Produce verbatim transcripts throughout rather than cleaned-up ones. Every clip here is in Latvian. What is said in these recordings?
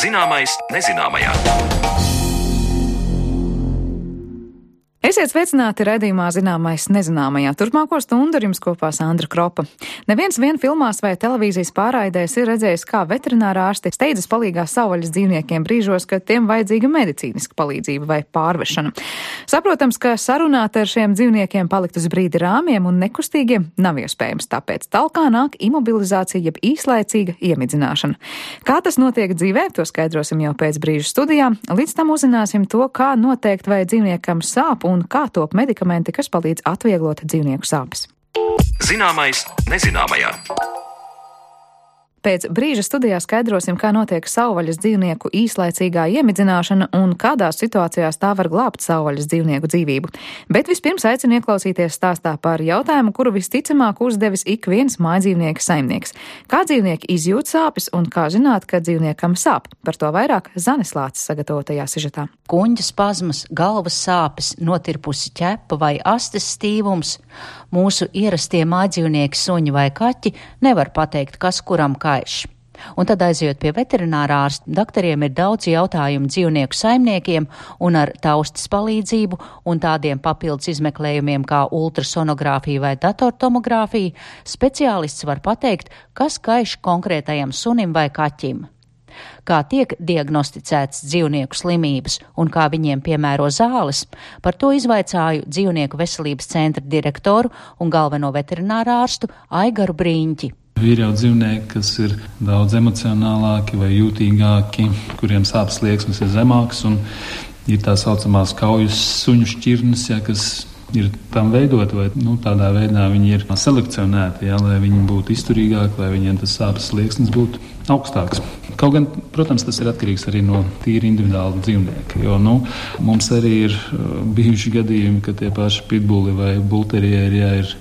Zināmais nezināmajā. Esiet sveicināti raidījumā Zināmais nezināmajā. Turpmāko stundu ar jums kopā Sandra Kropa. Neviens vien filmās vai televīzijas pārraidēs ir redzējis, kā veterinārā ārsti steidzas palīgā savvaļas dzīvniekiem brīžos, kad tiem vajadzīga medicīniska palīdzība vai pārvešana. Saprotams, ka sarunāt ar šiem dzīvniekiem palikt uz brīdi rāmiem un nekustīgiem nav iespējams, tāpēc talkā nāk imobilizācija jeb īslaicīga iemidzināšana. Kā tas notiek dzīvē, to skaidrosim jau pēc brīža studijā. Līdz tam uzzināsim to, kā noteikt, vai dzīvniekam sāp un kā top medikamenti, kas palīdz atvieglot dzīvnieku sāpes. Zināmais nezināmajā. Pēc brīža studijā skaidrosim, kā notiek savvaļas dzīvnieku īslaicīgā iemidzināšana un kādās situācijās tā var glābt savvaļas dzīvnieku dzīvību. Bet vispirms aicinu ieklausīties stāstā par jautājumu, kuru visticamāk uzdevis ik viens mājdzīvnieka saimnieks. Kā dzīvnieki izjūt sāpes un kā zināt, ka dzīvniekam sāp? Par to vairāk Zanes Lācis sagatavotajā sižetā. Kuņģa spazmas, galvas sāpes, notirpusi ķepa vai astes stīvums. Mūsu ierastie mājdzīvnieki, suņi vai kaķi nevar pateikt, kas kuram kaiš. Un tad aizejot pie veterinārā ārsta, doktoriem ir daudz jautājumu dzīvnieku saimniekiem, un ar taustas palīdzību un tādiem papildus izmeklējumiem kā ultrasonogrāfija vai datortomogrāfija speciālists var pateikt, kas kaiš konkrētajam sunim vai kaķim. Kā tiek diagnosticēts dzīvnieku slimības un kā viņiem piemēro zāles, par to izvaicāju dzīvnieku veselības centra direktoru un galveno veterinārā ārstu Aigaru Brīņķi. Ir jau dzīvnieki, kas ir daudz emocionālāki vai jūtīgāki, kuriem sāpes slieksnis ir zemāks, un ir tā saucamās kaujas suņu šķirnes, ja, kas ir tam veidot, vai nu, tādā veidā viņi ir selekcionēti, ja, lai viņi būtu izturīgāki, lai viņiem tas sāpes slieksnis būtu augstāks. Kaut gan, protams, tas ir atkarīgs arī no tīri individuāla dzīvnieka, jo nu, mums arī ir bijuši gadījumi, ka tie paši pitbuli vai bulterieri, ja, ir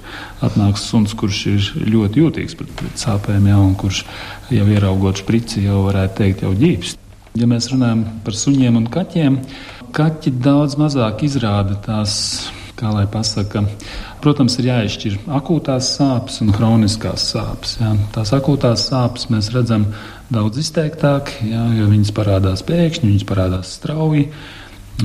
atnāks suns, kurš ir ļoti jūtīgs pret, pret sāpēm, ja, un kurš jau ieraugot šprici jau varētu teikt jau ģīpst. Ja mēs runājam par suņiem un kaķiem, kaķi daudz mazāk izrāda tās, kā lai pasaka, protams, ir jāizšķir akūtās sāpes un hroniskās sāpes. Jā. Tās akūtās sāpes mēs redzam daudz izteiktāk, jā, jo viņas parādās pēkšņi, viņas parādās strauji,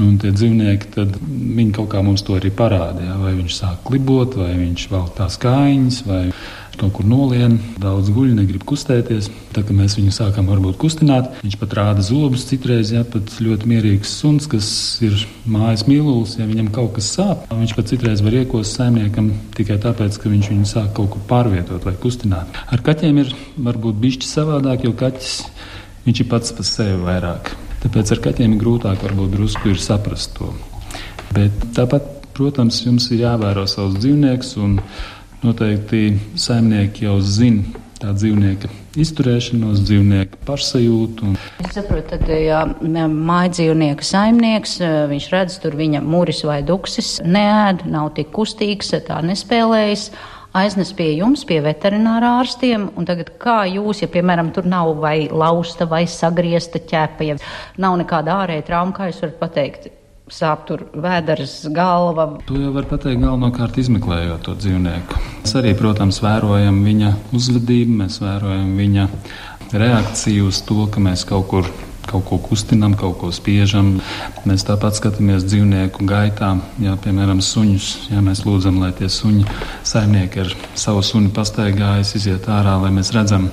un tie dzīvnieki, tad viņi kaut kā mums to arī parāda. Jā. Vai viņš sāk klibot, vai viņš velk tās kājiņas, vai kaut kur nolien, daudz guļ, negrib kustēties. Tā kā mēs viņu sākam varbūt kustināt, viņš pat rāda zobus citreiz, jā, pat ļoti mierīgs suns, kas ir mājas mīlulis, ja viņam kaut kas sāp, viņš pat citreiz var iekost saimniekam tikai tāpēc, ka viņš viņu sāk kaut kur pārvietot vai kustināt. Ar kaķiem ir varbūt bišķi savādāk, jo kaķis, viņš ir pats par sevi vairāk. Tāpēc ar kaķiem ir grūtāk varbūt drusku ir saprast to. Bet tāpat, protams, jums ir jāvēro savus dzīvniekus, un noteikti saimnieki jau zina tā dzīvnieka izturēšanos, dzīvnieka pašsajūtu. Un... Es saprotu, tad, ja mājdzīvnieka saimnieks, viņš redz, tur viņa muris vai duksis neēd, nav tik kustīgs, tā nespēlējas, aiznes pie jums, pie veterinārā ārstiem, un tagad kā jūs, ja, piemēram, tur nav vai lausta vai sagriezta ķepa, ja nav nekāda ārēja trauma, kā jūs varat pateikt? Sāp tur vēders, galva. To jau var pateikt galvenokārt izmeklējot to dzīvnieku. Mēs arī, protams, vērojam viņa uzvedību, mēs vērojam viņa reakciju uz to, ka mēs kaut kur kaut ko kustinam, kaut ko spiežam. Mēs tāpat skatāmies dzīvnieku gaitā, ja, piemēram, suņus. Ja, mēs lūdzam, lai tie suņi saimnieki ar savu suni pastaigājas, iziet ārā, lai mēs redzam,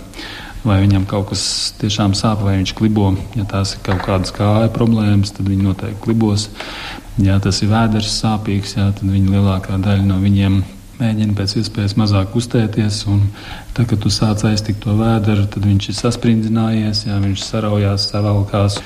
vai viņam kaut kas tiešām sāp, vai viņš klibo. Ja tās ir kaut kādas kāja problēmas, tad viņi noteikti klibos. Ja tas ir vēders sāpīgs, ja, tad viņi lielākā daļa no viņiem mēģina pēc iespējas mazāk kustēties. Un tā, kad tu sāc aiztikt to vēderu, tad viņš ir sasprindzinājies, ja, viņš saraujās, savalkās.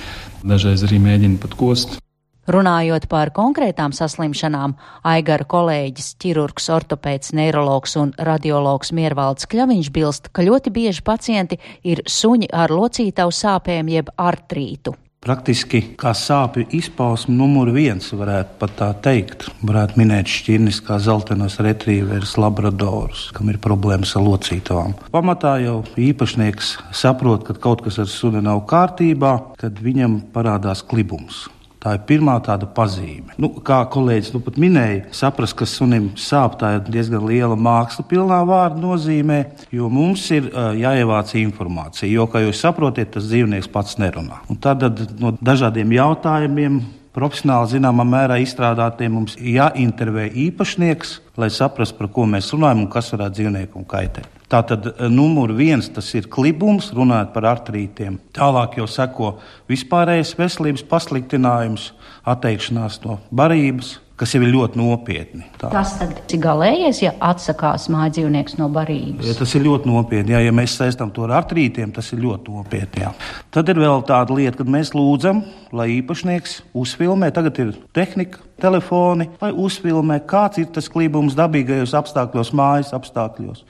Dažreiz arī mēģina pat kost. Runājot par konkrētām saslimšanām, Aigara kolēģis, ķirurgs, ortopēds, neirologs un radiologs Miervalds Kļaviņš bilst, ka ļoti bieži pacienti ir suņi ar locītavu sāpēm jeb artrītu. Praktiski kā sāpju izpausme numur viens, varētu pat tā teikt. Varētu minēt šķirnes kā zeltenos retrīverus, labradorus, kam ir problēmas ar locītavām. Pamatā jau īpašnieks saprot, ka kaut kas ar suni nav kārtībā, kad viņam parādās klibums. Tā ir pirmā tāda pazīme. Nu, kā kolēģis nu pat minēja, saprast, ka sunim sāp, tā ir diezgan liela māksla pilnā vārda nozīmē, jo mums ir uh, jāievāc informācija, jo, kā jūs saprotiet, tas dzīvnieks pats nerunā. Un tad no dažādiem jautājumiem, profesionāli zināmā mērā izstrādātiem, mums jāintervē īpašnieks, lai saprastu, par ko mēs runājam un kas varētu dzīvniekam kaitēt. Tātad numur viens tas ir klibums, runājot par artrītiem. Tālāk jau seko vispārējais veselības pasliktinājums, atteikšanās no barības, kas jau ir ļoti nopietni. Tā. Tas tad ir galējais, ja atsakās mājdzīvnieks no barības? Ja, tas ir ļoti nopietni. Jā, ja mēs saistām to ar artrītiem, tas ir ļoti nopietni. Jā. Tad ir vēl tāda lieta, kad mēs lūdzam, lai īpašnieks uzfilmē, tagad ir tehnika, telefoni, lai uzfilmē, kāds ir tas klibums dabīgajos apstākļos, mājas apstākļos.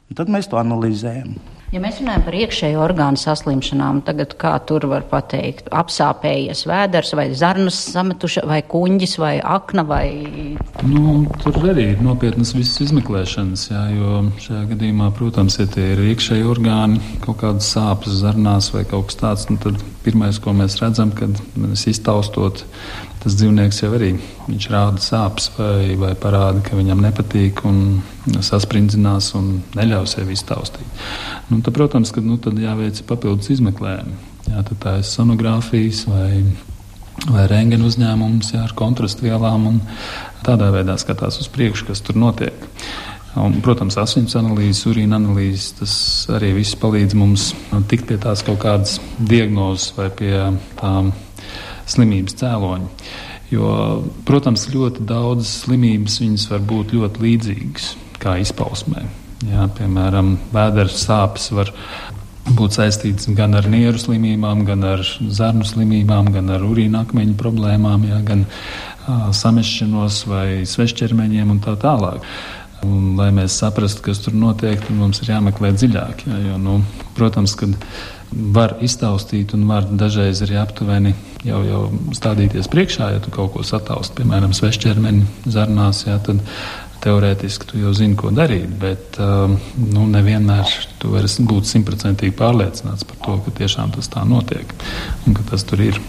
Un tad mēs to analizējam. Ja mēs runājam par iekšējo orgānu saslimšanām, tagad kā tur var pateikt? Apsāpējies vēders vai zarnas sametuša vai kuņģis vai akna vai... Nu, tur arī ir nopietnas visas izmeklēšanas, jā, jo šajā gadījumā, protams, ja tie ir iekšēji orgāni, kaut kādas sāpes zarnās vai kaut kas tāds, nu tad pirmais, ko mēs redzam, kad mēs iztaustot, tas dzīvnieks jau arī, viņš rāda sāpes vai, vai parāda, ka viņam nepatīk un sasprindzinās un neļauj sevi iztaustīt. Nu, tad, protams, ka nu, tad jāveic papildus izmeklējumi. Jā, tad tā ir sonogrāfijas vai, vai rentgena uzņēmums, jā, ar kontrastu vielām un tādā veidā skatās uz priekšu, kas tur notiek. Un, protams, asins analīzes, urīna analīzes, tas arī viss palīdz mums tikt pie tās kaut kādas diagnozes vai pie tām slimības cēloņi. Jo, protams, ļoti daudzas slimības viņas var būt ļoti līdzīgas kā izpausmē. Jā, piemēram, vēdera sāpes var būt saistītas gan ar nieru slimībām, gan ar zarnu slimībām, gan ar urīna akmeņu problēmām, jā, gan ā, samešķinos vai svešķermeņiem un tā tālāk. Un, lai mēs saprastu, kas tur notiek, tad mums ir jāmeklē dziļāk. Jā, jo, nu, protams, kad var iztaustīt un var dažreiz arī aptuveni jau, jau stādīties priekšā, ja tu kaut ko sataust, piemēram, svešķermeni zarnās, jā, tad teorētiski tu jau zini, ko darīt, bet uh, nu, nevienmēr tu vari būt simtprocentīgi pārliecināts par to, ka tiešām tas tā notiek un ka tas tur ir.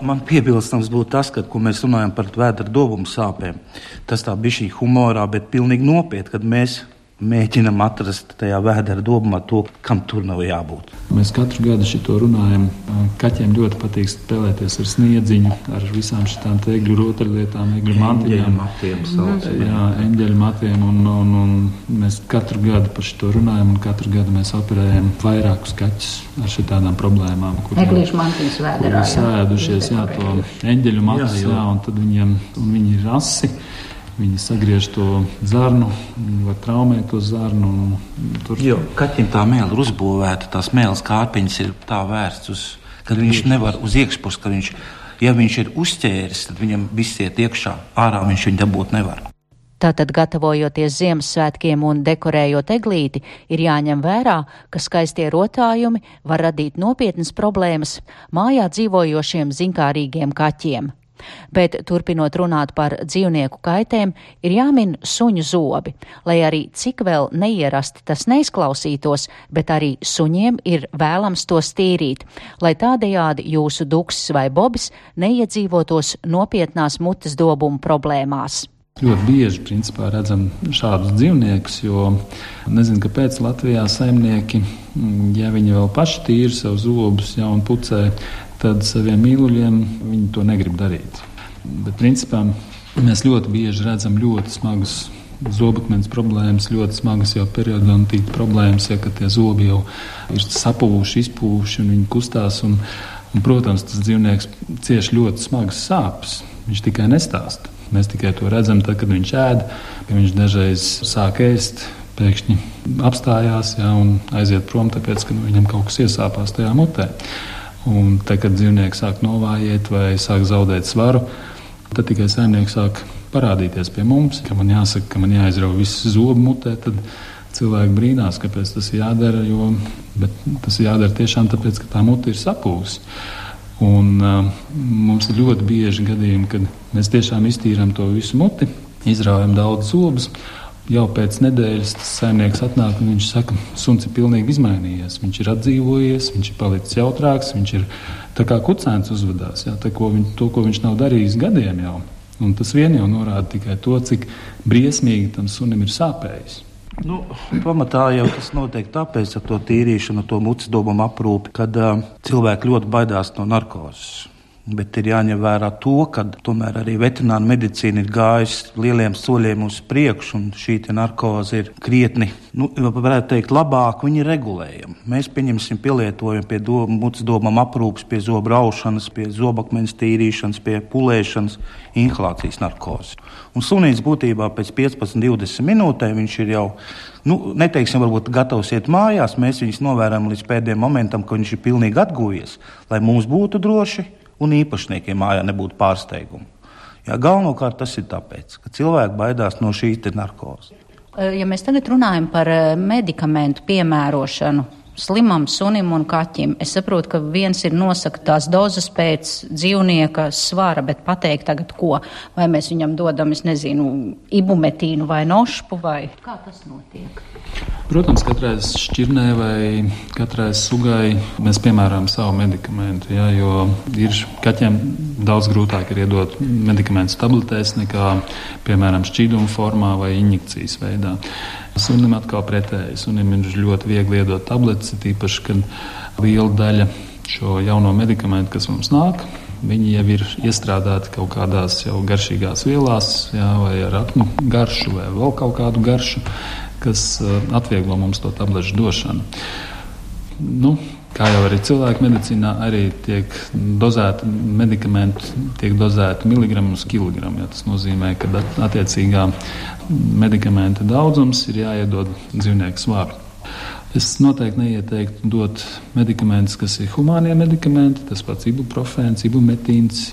Man piebilstams būtu tas, ka, ko mēs runājam par vēdera dobumu sāpēm, tas tā bišķī humorā, bet pilnīgi nopietni, kad mēs mēģinam atrast tajā vēdera dobumā to, kam tur nav jābūt. Mēs katru gadu šito runājam. Kaķiem ļoti patīk spēlēties ar sniedziņu, ar visām šitām te egļu rotaļlietām, egļu mantiņām. Jā, eņģeļu matiem, un, un, un mēs katru gadu par šito runājam, un katru gadu mēs operējam vairākus kaķus ar šitādām problēmām. Eglīšu mantiņas vēderā. Kuri sēdušies, jā, to eņģeļu matus, jā, jā, un tad viņiem, un viņi ir rasi. Viņi sagriež to zarnu, viņi var traumēt to zarnu. Tur... Jo kaķim tā mēle ir uzbūvēta, tās mēles kārpiņas ir tā vērsts uz, kad viņš nevar uz iekšpus, ka viņš, ja viņš ir uzķēris, tad viņam viss iet iekšā, ārā viņš viņu dabūt nevar. Tātad, gatavojoties Ziemassvētkiem un dekorējot eglīti, ir jāņem vērā, ka skaistie rotājumi var radīt nopietnas problēmas mājā dzīvojošiem zinkārīgiem kaķiem. Bet, turpinot runāt par dzīvnieku kaitēm, ir jāmin suņu zobi, lai arī cik vēl neierasti tas neizklausītos, bet arī suņiem ir vēlams to stīrīt, lai tādējādi jūsu duksis vai bobis neiedzīvotos nopietnās mutes dobumu problēmās. Ļoti bieži, principā, redzam šādus dzīvniekus, jo nezinu, kāpēc Latvijā saimnieki, ja viņi vēl paši tīri sev zobus, ja, un pucē, tad saviem mīluļiem viņi to negrib darīt. Bet, principā, mēs ļoti bieži redzam ļoti smagas zobakmens problēmas, ļoti smagas jau periodontīta problēmas, ja, ka tie zobi jau ir sapūši, izpūši un viņi kustās. Un, un, protams, tas dzīvnieks cieš ļoti smagas sāpes. Viņš tikai nestāsta. Mēs tikai to redzam, tad, kad viņš ēd, ka viņš dažreiz sāk ēst, pēkšņi apstājās, jā, un aiziet prom, tāpēc, ka nu, viņam kaut kas iesāpās tajā mutē. Un tad, kad dzīvnieks sāk novājiet vai sāk zaudēt svaru, tad tikai saimnieks sāk parādīties pie mums, ka man jāsaka, ka man jāizrauj viss zobu mutē, tad cilvēki brīnās, kāpēc tas ir jādara, jo, bet tas ir jādara tiešām tāpēc, ka tā mute ir sapūsi. Un uh, mums ir ļoti bieži gadījumi, kad mēs tiešām iztīram to visu muti, izraujam daudz zobus, jau pēc nedēļas tas saimnieks atnāk un viņš saka, suns ir pilnīgi izmainījies. Viņš ir atdzīvojies, viņš ir palicis jautrāks, viņš ir tā kā kucēns uzvedās, jā, tā, ko viņ, to, ko viņš nav darījis gadiem jau. Un tas vien jau norāda tikai to, cik briesmīgi tam sunim ir sāpējis. Nu, pamatā jau tas notiek tāpēc ar to tīrīšanu, to mucas dobumu aprūpi, kad uh, cilvēki ļoti baidās no narkozes. Bet ir jāņem vērā to, ka tomēr arī veterināra medicīna ir gājusi lieliem soļiem uz priekšu, un šī narkoze ir krietni, nu, varētu teikt, labāk, viņi ir regulējami. Mēs, pieņemsim, pielietojam pie do, mucas domām aprūpes, pie zobu raušanas, pie zobakmeņa tīrīšanas, pie pulēšanas, inhalācijas narkozes. Un sunīts būtībā pēc piecpadsmit divdesmit minūtēm viņš ir jau, nu, neteiksim, varbūt gatavs iet mājās, mēs viņus novērām līdz pēdējiem momentam, ka viņš ir pilnīgi atguvies, lai mums būtu droši, un īpašniekiem mājā nebūtu pārsteigumu. Jā, galvenokārt tas ir tāpēc, ka cilvēki baidās no šīs te narkozes. Ja mēs tagad runājam par medikamentu piemērošanu slimam sunim un kaķim, es saprotu, ka viens ir nosaka tās dozes pēc dzīvnieka svara, bet pateikt tagad ko? Vai mēs viņam dodam, es nezinu, ibumetīnu vai nošpu, vai kā tas notiek? Protams, katrai šķirnē vai katrai sugai mēs piemērām savu medikamentu, jā, jo ir kaķiem daudz grūtāk ir iedot medikamentus tabletēs nekā, piemēram, šķīduma formā vai injekcijas veidā. Sunim atkal pretēji. Sunim ir ļoti viegli iedot tabletes, tīpaši, kad liela daļa šo jauno medikamentu, kas mums nāk, viņi jau ir iestrādāti kaut kādās jau garšīgās vielās, jā, vai ar aknu garšu vai vēl kaut kādu garšu, kas atvieglo mums to tablešu došanu. Nu, kā jau arī cilvēku medicīnā, arī tiek dozēti medikamenti, tiek dozēti miligramu uz kilogramu. Ja tas nozīmē, ka attiecīgā medikamenta daudzums ir jāiedod dzīvnieku svaru. Es noteikti neieteiktu dot medikamentus, kas ir humānie medikamenti, tas pats ibuprofēns, ibumetīns,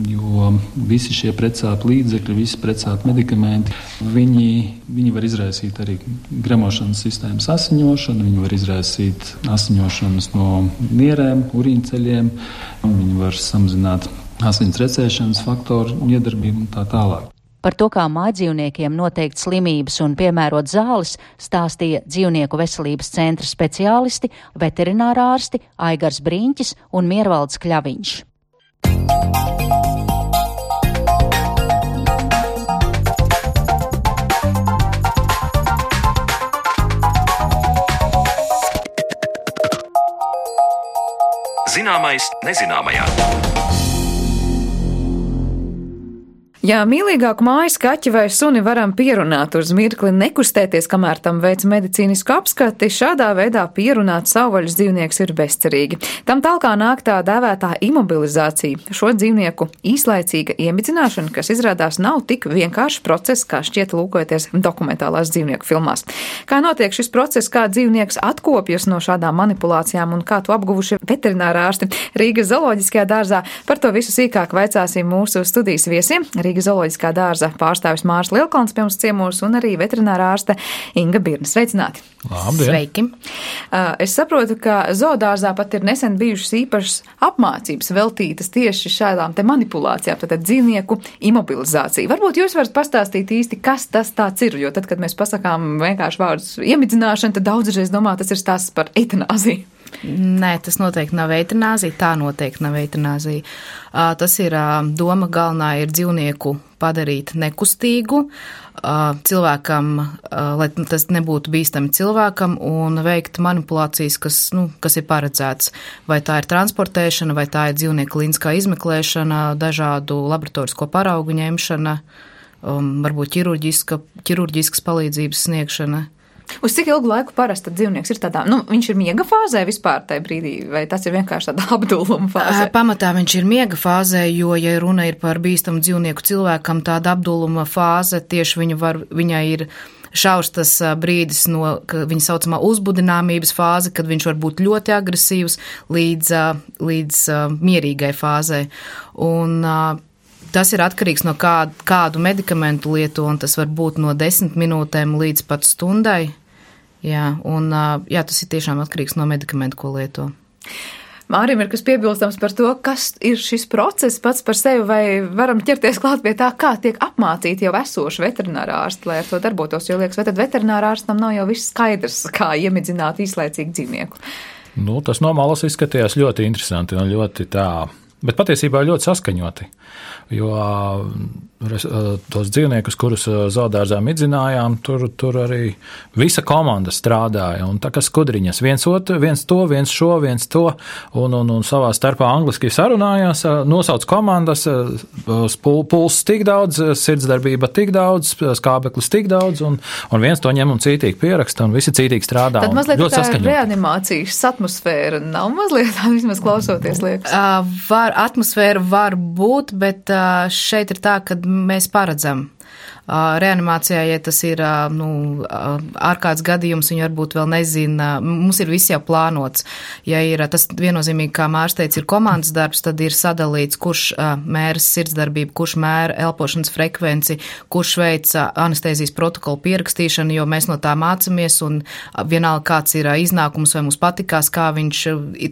jo visi šie pretsāpju līdzekļi, visi pretsāpju medikamenti, viņi, viņi var izraisīt arī gremošanas sistēmas asiņošanu, viņi var izraisīt asiņošanas no nierēm, urīnceļiem, viņi var samazināt asins recēšanas faktoru iedarbību un tā tālāk. Par to, kā mājdzīvniekiem noteikt slimības un piemērot zāles, stāstīja dzīvnieku veselības centra speciālisti, veterinārārsti Aigars Brīņķis un Miervalds Kļaviņš. Zināmais nezināmajā. Ja mīlīgāku mājas kaķi vai suni varam pierunāt uz mirkli nekustēties, kamēr tam veic medicīnisku apskati, šādā veidā pierunāt savvaļas dzīvnieks ir bezcerīgi. Tam talkā nāk tā dēvētā imobilizācija, šo dzīvnieku īslaicīga iemidzināšana, kas izrādās nav tik vienkāršs process, kā šķiet lūkojoties dokumentālās dzīvnieku filmās. Kā notiek šis process, kā dzīvnieks atkopjas no šādām manipulācijām un kā to apguvuši veterinārārsti Rīgas zooloģiskajā dārzā, par to visu sīkāk vaicāsim mūsu studijas viesiem. Rīgas zooloģiskā dārza pārstāvis Mārs Lielkalns pie mums ciemos un arī veterinārā ārste Inga Birna. Sveicināti! Labdien. Sveiki! Es saprotu, ka zoodārzā pat ir nesen bijušas īpašas apmācības veltītas tieši šādām te manipulācijām, tātad dzīvnieku imobilizācija. Varbūt jūs varat pastāstīt īsti, kas tas tāds ir, jo tad, kad mēs pasakām vienkārši vārdus iemidzināšana, tad daudzreiz domā, tas ir stāsts par eitanāziju. Nē, tas noteikti nav eitanāzija, tā noteikti nav eitanāzija. Tas ir doma galvenā ir dzīvnieku padarīt nekustīgu cilvēkam, lai tas nebūtu bīstami cilvēkam un veikt manipulācijas, kas, nu, kas ir paredzēts. Vai tā ir transportēšana, vai tā ir dzīvnieku klīniskā izmeklēšana, dažādu laboratorisko paraugu ņemšana, varbūt ķirurģiska, ķirurģiskas palīdzības sniegšana. Uz cik ilgu laiku parasti dzīvnieks ir tādā, nu, viņš ir miega fāzē vispār tajā brīdī, vai tas ir vienkārši tāda apdulluma fāzē? Pamatā viņš ir miega fāzē, jo, ja runa ir par bīstamu dzīvnieku cilvēkam, tāda apdulluma fāze, tieši viņa var, viņai ir šaurs tas brīdis no, viņa saucamā uzbudināmības fāze, kad viņš var būt ļoti agresīvs līdz, līdz mierīgai fāzei. Un tas ir atkarīgs no kādu, kādu medikamentu lieto, un tas var būt no desmit minūtēm līdz pat stundai. Jā, un jā, tas ir tiešām atkarīgs no medikamentu, ko lieto. Mārim ir kas piebilstams par to, kas ir šis process pats par sevi, vai varam ķerties klāt pie tā, kā tiek apmācīti jau esoši veterinārā ārsti, lai ar to darbotos, jo liekas, vai tad veterinārā ārstam nav jau viss skaidrs, kā iemidzināt īslaicīgu dzīvnieku? Nu, tas no malas izskatījās ļoti interesanti un ļoti tā, bet patiesībā ļoti saskaņoti, jo tos dzīvniekus, kurus zoodārzā midzinājām, tur, tur arī visa komanda strādāja, un tā kā skudriņas, viens, otru, viens to, viens šo, viens to, un, un, un savā starpā angliski sarunājās, nosauc komandas, puls tik daudz, sirdsdarbība tik daudz, skābeklis tik daudz, un, un viens to ņem un cītīgi pieraksta, un visi cītīgi strādā. Tad mazliet tā reanimācijas atmosfēra nav mazliet, vismaz klausoties liekas. Uh, var, atmosfēra var būt, bet uh, šeit ir tā, ka mēs paredzam. Reanimācijā, ja tas ir nu, ārkārtas gadījums, viņi varbūt vēl nezina, mums ir viss jau plānots. Ja ir tas viennozīmīgi, kā Mārs teica, ir komandas darbs, tad ir sadalīts, kurš mēra sirdsdarbību, kurš mēra elpošanas frekvenci, kurš veic anestēzijas protokolu pierakstīšanu, jo mēs no tā mācamies, un vienalga kāds ir iznākums, vai mums patikās, kā viņš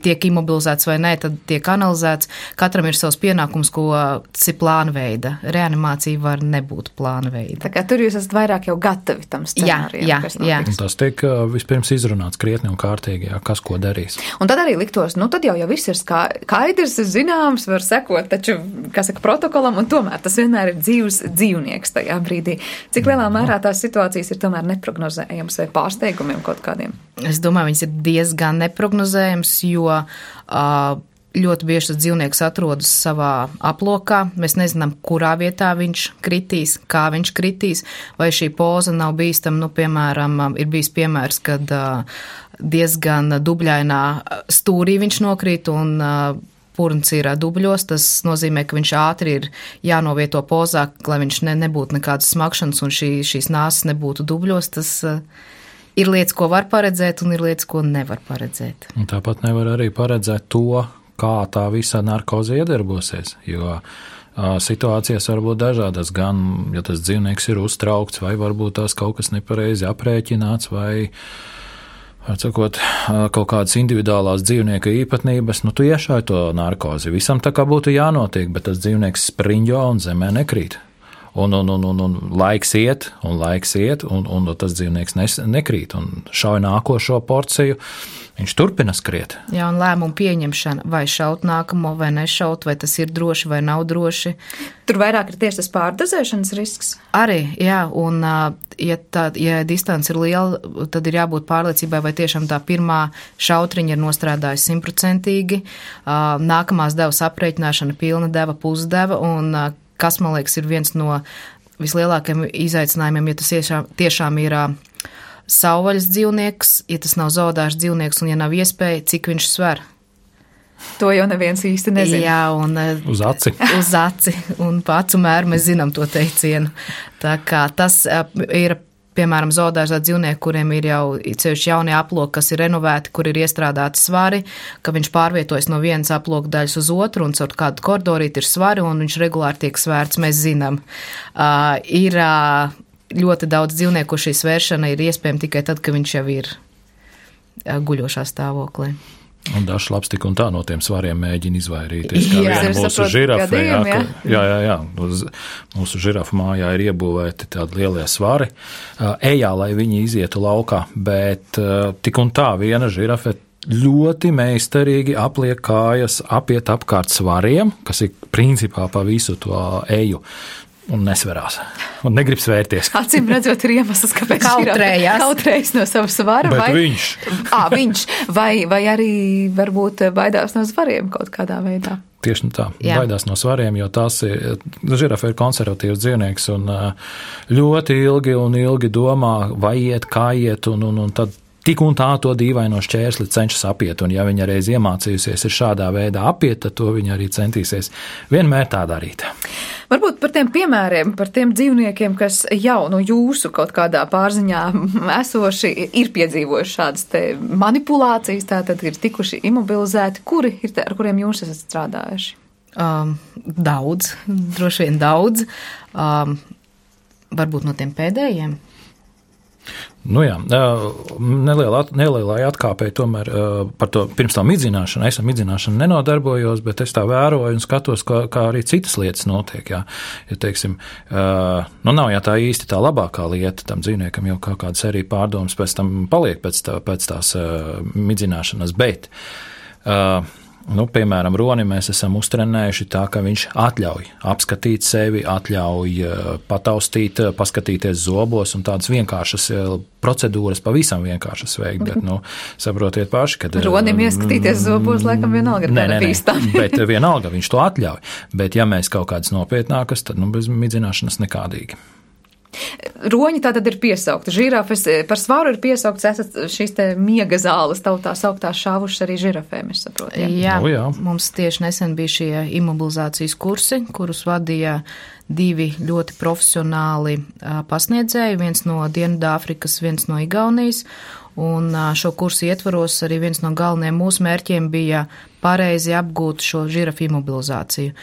tiek imobilizēts vai nē, tad tiek analizēts. Katram ir savs pienākums, ko tas ir plānveida. Reanimācija var nebūt plānveida. Tā kā tur jūs esat vairāk jau gatavi tam scenārijam, jā, kas jā, notiks. Tas tiek vispirms izrunāts krietni un kārtīgi, jā, kas ko darīs. Un tad arī liktos, nu tad jau, jau viss ir skaidrs, zināms, var sekot, taču, kā saka, protokolam, un tomēr tas vienmēr ir dzīvs dzīvnieks tajā brīdī. Cik lielā mērā tās situācijas ir tomēr neprognozējams vai pārsteigumiem kaut kādiem? Es domāju, viņas ir diezgan neprognozējams, jo uh, ļoti bieži tas dzīvnieks atrodas savā aplokā. Mēs nezinām, kurā vietā viņš kritīs, kā viņš kritīs, vai šī poza nav bīstama. Nu, piemēram, ir bijis piemērs, kad uh, diezgan dubļainā stūrī viņš nokrīt un uh, purns ir dubļos. Tas nozīmē, ka viņš ātri ir jānovieto pozā, lai viņš ne, nebūtu nekādas smakšanas un šī, šīs nāsas nebūtu dubļos. Tas uh, ir lietas, ko var paredzēt, un ir lietas, ko nevar paredzēt. Un tāpat nevar arī paredzēt to, kā tā visa narkoze iedarbosies, jo situācijas var būt dažādas, gan, ja tas dzīvnieks ir uztraukts, vai varbūt tās kaut kas nepareizi aprēķināts, vai, var sakot, kaut kādas individuālās dzīvnieka īpatnības, nu tu iešāji to narkozi. Visam tā kā būtu jānotiek, bet tas dzīvnieks spriņģo un zemē nekrīt. Un, un, un, un, un laiks iet, un laiks iet, un, un tas dzīvnieks nes, nekrīt, un šauj nākošo porciju, viņš turpina skriet. Jā, un lēmumu pieņemšana, vai šaut nākamo, vai nešaut, vai tas ir droši, vai nav droši. Tur vairāk ir tieši tas pārdozēšanas risks? Arī, jā, un ja, tā, ja distance ir liela, tad ir jābūt pārliecībai, vai tiešām tā pirmā šautriņa ir nostrādājusi simtprocentīgi, nākamās devas aprēķināšana pilna deva, pusdeva, un kas, man liekas, ir viens no vislielākajiem izaicinājumiem, ja tas tiešām, tiešām ir uh, savvaļas dzīvnieks, ja tas nav zoodārs dzīvnieks un ja nav iespēja, cik viņš sver. To jau neviens īsti nezina. Jā, un uh, uz aci. Uz aci, un pa acu mēru mēs zinām to teicienu. Tā kā tas uh, ir, piemēram, zoodārzā dzīvnieki, kuriem ir jau ceļš jaunie aploki, kas ir renovēti, kur ir iestrādāti svari, ka viņš pārvietojas no vienas aploka daļas uz otru un caur kādu koridorīti ir svari un viņš regulāri tiek svērts, mēs zinām. Uh, ir uh, ļoti daudz dzīvnieku, šī svēršana ir iespējama tikai tad, ka viņš jau ir uh, guļošā stāvoklī. Un dažs labs tik un tā no tiem svariem mēģina izvairīties. Kā jā, viena mūsu žirafa, gadījumi, jā, jā, jā, jā, jā, uz mūsu žirafa mājā ir iebūvēti tādi lielie svari, ejā, lai viņi izietu laukā, bet tik un tā viena žirafa ļoti meistarīgi apliek kājas, apiet apkārt svariem, kas ir principā pa visu to eju. Un nesverās. Un negrib svērties. Acīm redzot, ir iemesls, kāpēc kautrējās. Kautrējas no sava svara. Bet vai, viņš. Ā, viņš. Vai, vai arī varbūt baidās no svariem kaut kādā veidā. Tieši tā, jā. Baidās no svariem, jo tās ir, žirafa ir konservatīvs dzīvnieks un ļoti ilgi un ilgi domā, vai iet, kā iet, un, un, un tad tik un tā to dīvaino šķērsli cenšas apiet, un ja viņa reiz iemācījusies ir šādā veidā apiet, tad to viņa arī centīsies vienmēr tā darīt. Varbūt par tiem piemēriem, par tiem dzīvniekiem, kas jau no jūsu kaut kādā pārziņā esoši ir piedzīvojuši šādas te manipulācijas, tātad ir tikuši imobilizēti, kuri ir te, ar kuriem jūs esat strādājuši? Um, daudz, droši vien daudz. Um, varbūt no tiem pēdējiem. Nu jā, nelielā, nelielai atkāpēji tomēr par to pirms tam midzināšanu. Es ar midzināšanu nenodarbojos, bet es tā vēroju un skatos, kā, kā arī citas lietas notiek. Jā. Ja, teiksim, nu nav jā tā īsti tā labākā lieta tam dzīvniekam, jau kā kādas arī pārdomas pēc tam paliek pēc, tā, pēc tās midzināšanas, bet nu, piemēram, roni mēs esam uztrenējuši tā, ka viņš atļauj apskatīt sevi, atļauj pataustīt, paskatīties zobos un tādas vienkāršas procedūras pavisam vienkāršas veikt, bet, nu, saprotiet paši, kad... Ronim ieskatīties zobos, laikam vienalga ir tāda bīstami. Bet vienalga viņš to atļauj, bet ja mēs kaut kādas nopietnākas, tad, nu, bez midzināšanas nekādīgi. Roņi tātad ir piesaukti. Žirafes par svaru ir piesaukts, esat šīs te miega zāles tautā sauktās šāvušas arī žirafēm, es saprotu. Jā, jā, nu, jā. Mums tieši nesen bija šie imobilizācijas kursi, kurus vadīja divi ļoti profesionāli pasniedzēji, viens no Dienvidāfrikas, viens no Igaunijas, un šo kursu ietvaros arī viens no galvenajiem mūsu mērķiem bija pareizi apgūt šo žirafu imobilizāciju.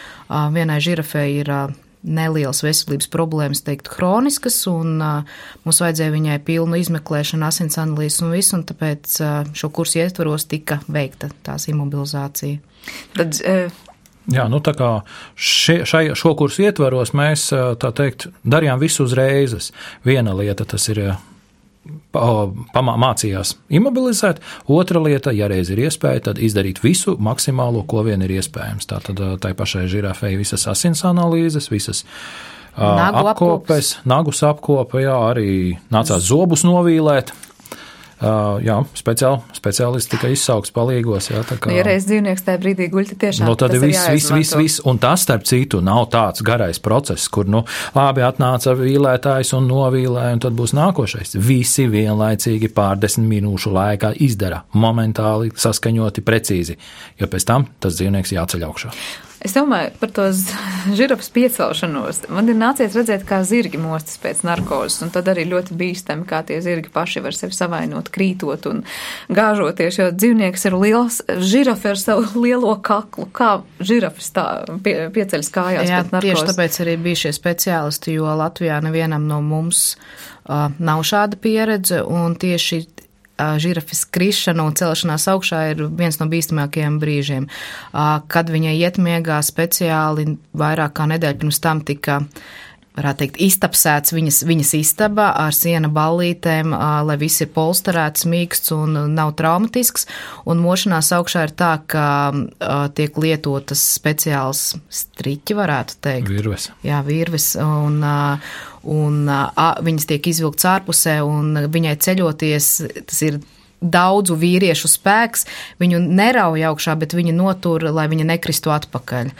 Vienai žirafei ir nelielas veselības problēmas, teikt, hroniskas, un uh, mums vajadzēja viņai pilnu izmeklēšanu, asins analīzes un visu, un tāpēc uh, šo kursu ietvaros tika veikta tās imobilizācija. Tad, uh... Jā, nu tā kā še, šai, šo kursu ietvaros mēs, tā teikt, darījām visu uzreizes. Viena lieta tas ir pamācījās imobilizēt, otra lieta, ja reiz ir iespēja, tad izdarīt visu maksimālo, ko vien ir iespējams. Tātad tai pašai žirafei visas asins analīzes, visas nagu apkopes, nagus apkopa, jā, arī nācās zobus novīlēt. Uh, jā, speciāli, speciālisti tika izsaukts palīgos. Jā, tā kā, ja reiz dzīvnieks tajā brīdī guļ, tiešām nu, tad tas viss, ir viss, viss, viss, un tas, starp citu, nav tāds garais process, kur, nu, labi atnāca vīlētājs un novīlē, un tad būs nākošais. Visi vienlaicīgi pārdesmit minūšu laikā izdara, momentāli saskaņoti, precīzi, jo pēc tam tas dzīvnieks jāceļ augšā. Es domāju par to žirafas piecelšanos. Man ir nācies redzēt, kā zirgi mostas pēc narkozes, un tad arī ļoti bīstami, kā tie zirgi paši var sevi savainot, krītot un gāžoties, jo dzīvnieks ir liels, žirafa ar savu lielo kaklu. Kā žirafas tā pie, pieceļas kājās Jā, pēc narkozes? Tieši tāpēc arī bija šie speciālisti, jo Latvijā nevienam no mums uh, nav šāda pieredze, un tieši žirafes krišana un celšanās augšā ir viens no bīstamākajiem brīžiem. Kad viņa iet miegā speciāli vairāk kā nedēļu pirms tam tika, varētu teikt, iztapsēts viņas, viņas istaba ar siena ballītēm, lai viss ir polsterēts, mīksts un nav traumatisks. Un mošanās augšā ir tā, ka tiek lietotas speciāls striķi, varētu teikt. Virves. Jā, virves. Un, un a, viņas tiek izvilkts ārpusē, un viņai ceļoties, tas ir daudzu vīriešu spēks, viņu nerauj augšā, bet viņi notur, lai viņa nekristu atpakaļ.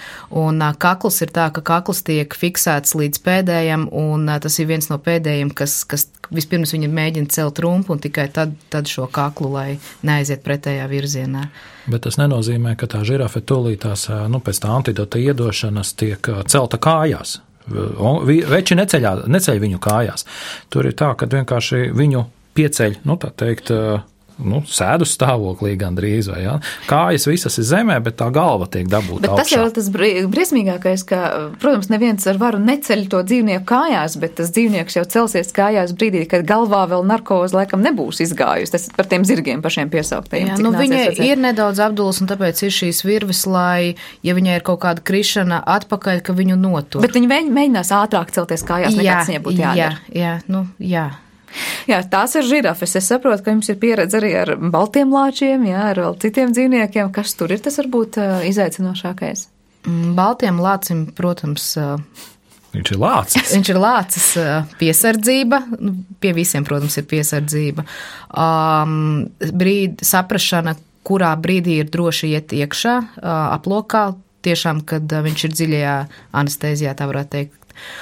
Un a, kakls ir tā, ka kakls tiek fiksēts līdz pēdējam, un a, tas ir viens no pēdējiem, kas, kas vispirms viņa mēģina celt rumpu, un tikai tad, tad šo kaklu, lai neaiziet pretējā virzienā. Bet tas nenozīmē, ka tā žirafe tūlītās, nu, pēc tā antidota iedošanas tiek celta kājās. Veči neceļā, neceļ viņu kājās. Tur ir tā, ka vienkārši viņu pieceļ, nu tā teikt, nu, sēdu stāvoklī gandrīz, vai, ja? Kājas visas ir zemē, bet tā galva tiek dabūta augšā. Bet tas jau ir tas briesmīgākais, ka, protams, neviens ar varu neceļ to dzīvnieku kājās, bet tas dzīvnieks jau celsies kājās brīdī, kad galvā vēl narkoze laikam nebūs izgājusi. Tas par tiem zirgiem pašiem piesauktajiem. Jā, nu viņa ir nedaudz apdulas, un tāpēc ir šīs virves, lai, ja viņai ir kaut kāda krišana atpakaļ, ka viņu notur. Bet viņi mēģinās ātrāk celties kājās, nekā tas viņai būtu jādara. Jā, jā, nu, jā. Jā, tās ir žirafes. Es saprotu, ka jums ir pieredze arī ar baltiem lāčiem, jā, ar vēl citiem dzīvniekiem. Kas tur ir, tas varbūt izaicinošākais? Baltiem lācim, protams, viņš ir lācis. Viņš ir lācis piesardzība. Pie visiem, protams, ir piesardzība. Um, brīd, saprašana, kurā brīdī ir droši iet iekšā, aplokā, tiešām, kad viņš ir dziļajā anestēzijā, tā varētu teikt.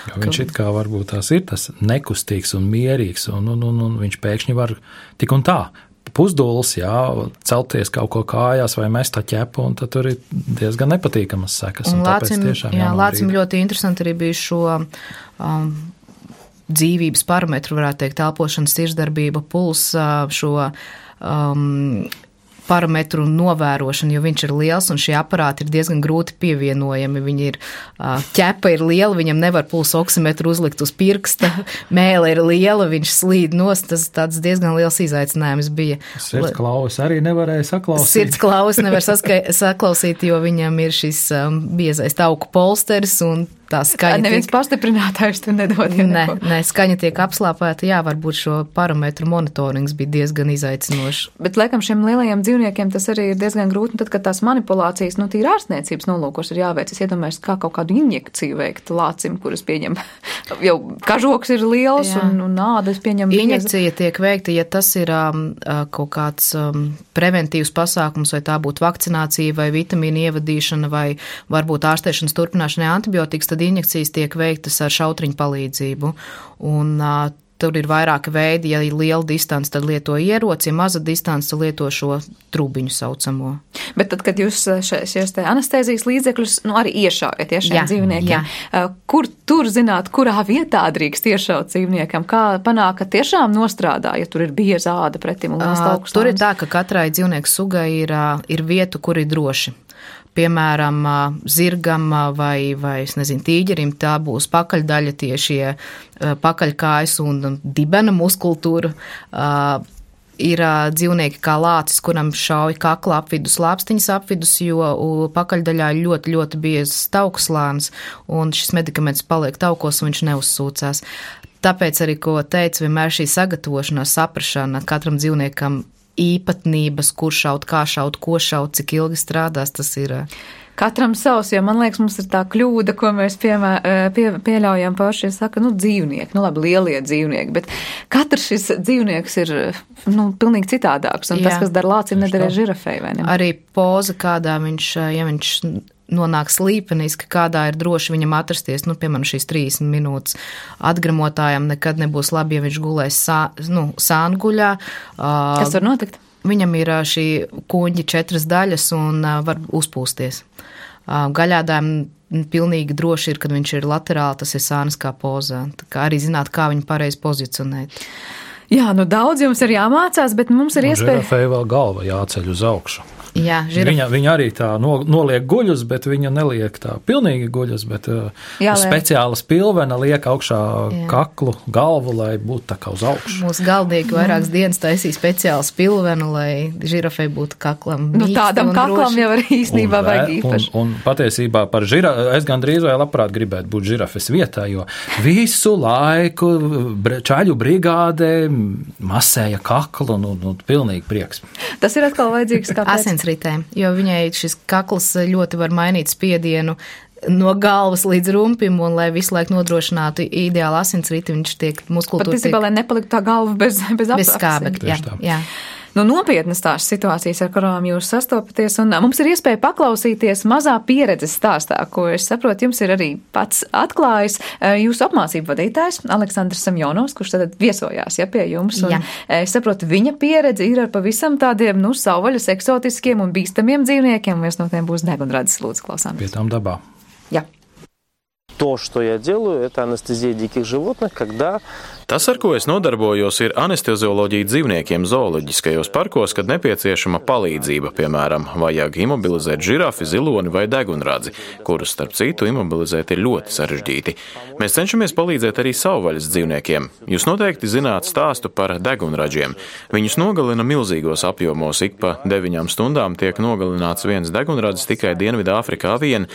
Jo viņš it kā varbūt tās ir tas nekustīgs un mierīgs, un, un, un, un viņš pēkšņi var tik un tā pusdūlis, jā, celties kaut ko kājās vai mest tā ķepu, un tad tur ir diezgan nepatīkamas sekas. Un, un lācim, jā, lācim ļoti interesanti arī bija šo um, dzīvības parametru, varētu teikt, elpošanas, sirdsdarbība, puls, šo um, parametru novērošana, jo viņš ir liels un šie aparāti ir diezgan grūti pievienojami. Viņi ir, ķepa ir liela, viņam nevar pulsu oksimetru uzlikt uz pirksta, mēle ir liela, viņš slīd nost, tas tāds diezgan liels izaicinājums bija. Sirds klaus arī nevarēja saklausīt. Sirds klaus nevar saska- saklausīt, jo viņam ir šis um, biezais tauku polsteris un tā skaņa. Neviens tiek... pastiprinātājs tu nedod. Ja nē, nē, skaņa tiek apslāpēta, jā, varbūt šo parametru monitorings bija diezgan izaicinošs. Bet, laikam, šiem lielajiem dzīvniekiem tas arī ir diezgan grūti, un tad, kad tās manipulācijas, nu, tīri ārstniecības nolūkos ir jāveic, es iedomājos, kā kaut kādu injekciju veikt lācim, kuras pieņem, jau kažoks ir liels jā. un, un ādas pieņem. Injekcija tiek veikta, ja tas ir um, kaut kāds um, preventīvs pasākums, vai tā būtu vakcinācija, vai vitamīnu ievadīšana, vai varbūt ārstēšanas turpināšanai antibiotikas, tad injekcijas tiek veiktas ar šautriņu palīdzību. Un uh, tur ir vairāki veidi, ja ir liela distance, tad lieto ieroci, ja maza distance, tad lieto šo trubiņu saucamo. Bet tad, kad jūs šies te anestēzijas līdzekļus, nu, arī iešaujat ja, šiem jā, dzīvniekiem, jā. Kur tur zināt, kurā vietā drīkst iešaut dzīvniekam? Kā panāk, ka tiešām nostrādā, ja tur ir bieza āda pretim un liels augstslānis? Tur ir tā, ka katrai dzīvnieku sugai ir, ir vietu, kur ir droši. Piemēram, zirgam vai, vai es nezinu, tīģerim, tā būs pakaļdaļa tiešie pakaļkājas un dibena muskultūra. Ir dzīvnieki kā lācis, kuram šauj kakla apvidus, lāpstiņas apvidus, jo pakaļdaļā ir ļoti, ļoti biezs taukuslānis, un šis medikaments paliek taukos, un viņš neuzsūcās. Tāpēc arī, ko teicu, vienmēr šī sagatavošanās, saprašana katram dzīvniekam īpatnības, kur šaut, kā šaut, ko šaut, cik ilgi strādās, tas ir. Katram savs, jo man liekas, mums ir tā kļūda, ko mēs piemē, pie, pieļaujam paši, saka, nu, dzīvnieki, nu, labi, lielie dzīvnieki, bet katrs šis dzīvnieks ir, nu, pilnīgi citādāks, un Jā. tas, kas dar lācim, nedara žirafei, vai ne? Arī poza, kādā viņš, ja viņš nonāk slīpeniski, kādā ir droši viņam atrasties, nu, piemēram, šīs trīsdesmit minūtes atgramotājam nekad nebūs labi, ja viņš gulēs sā, nu, sānguļā. Kas var notikt? Viņam ir šī kuņģi četras daļas un var uzpūsties. Gaļādājiem pilnīgi droši ir, kad viņš ir laterāli, tas ir sāniskā pozā. Tā kā arī zināt, kā viņu pareizi pozicionēt. Jā, nu daudz jums ir jāmācās, bet mums ir iespēja... Žirafei vēl galva jāceļ uz augšu. Jā, žiraf... viņa, viņa arī tā no, noliek guļus, bet viņa neliek tā pilnīgi guļus, bet Jā, speciālas pilvena liek augšā Jā. kaklu, galvu, lai būtu tā kā uz augšu. Mūsu galdnieki vairākas dienas taisīja speciālas pilvenu, lai žirafei būtu kaklam. Nu, tādam kaklam droši. Jau arī īstenībā un, vajag īpaši. Un, un patiesībā par žirafi, es gandrīz vai labprāt gribētu būt žirafes vietā, jo visu laiku čaļu brigādē masēja kaklu, nu, nu pilnīgi prieks. Tas ir atkal vajadzīgs kāpēc? Ritēm, jo viņai šis kakls ļoti var mainīt spiedienu no galvas līdz rumpim, un lai visu laiku nodrošinātu ideālu asinsriti, viņš tiek muskultūra. Pat īstenībā, lai nepaliktu tā galva bez, bez, bez skābekļa. Jā, jā. Nu, nopietnas tās situācijas, ar kurām jūs sastopaties, un mums ir iespēja paklausīties mazā pieredzes stāstā, ko es saprotu, jums ir arī pats atklājis jūsu apmācību vadītājs Aleksandrs Semjonovs, kurš tad viesojās ja, pie jums, un Jā. es saprotu, viņa pieredze ir ar pavisam tādiem, nu, savvaļas eksotiskiem un bīstamiem dzīvniekiem, un viens no tiem būs degunradis, lūdzu, klausāmies. Pie tām dabā. Jā. То, что я делаю, это анестезия диких животных, когда... Tas, ar ko es nodarbojos, ir anestezioloģija dzīvniekiem zooloģiskajos parkos, kad nepieciešama palīdzība, piemēram, vajag imobilizēt žirafi, ziloni vai degunradzi, kurus, starp citu, imobilizēt ir ļoti sarežģīti. Mēs cenšamies palīdzēt arī savvaļas dzīvniekiem. Jūs noteikti zināt stāstu par degunradžiem. Viņus nogalina milzīgos apjomos, ik pa deviņām stundām tiek nogalināts viens degunradzis tikai Dienvidāfrikā vien.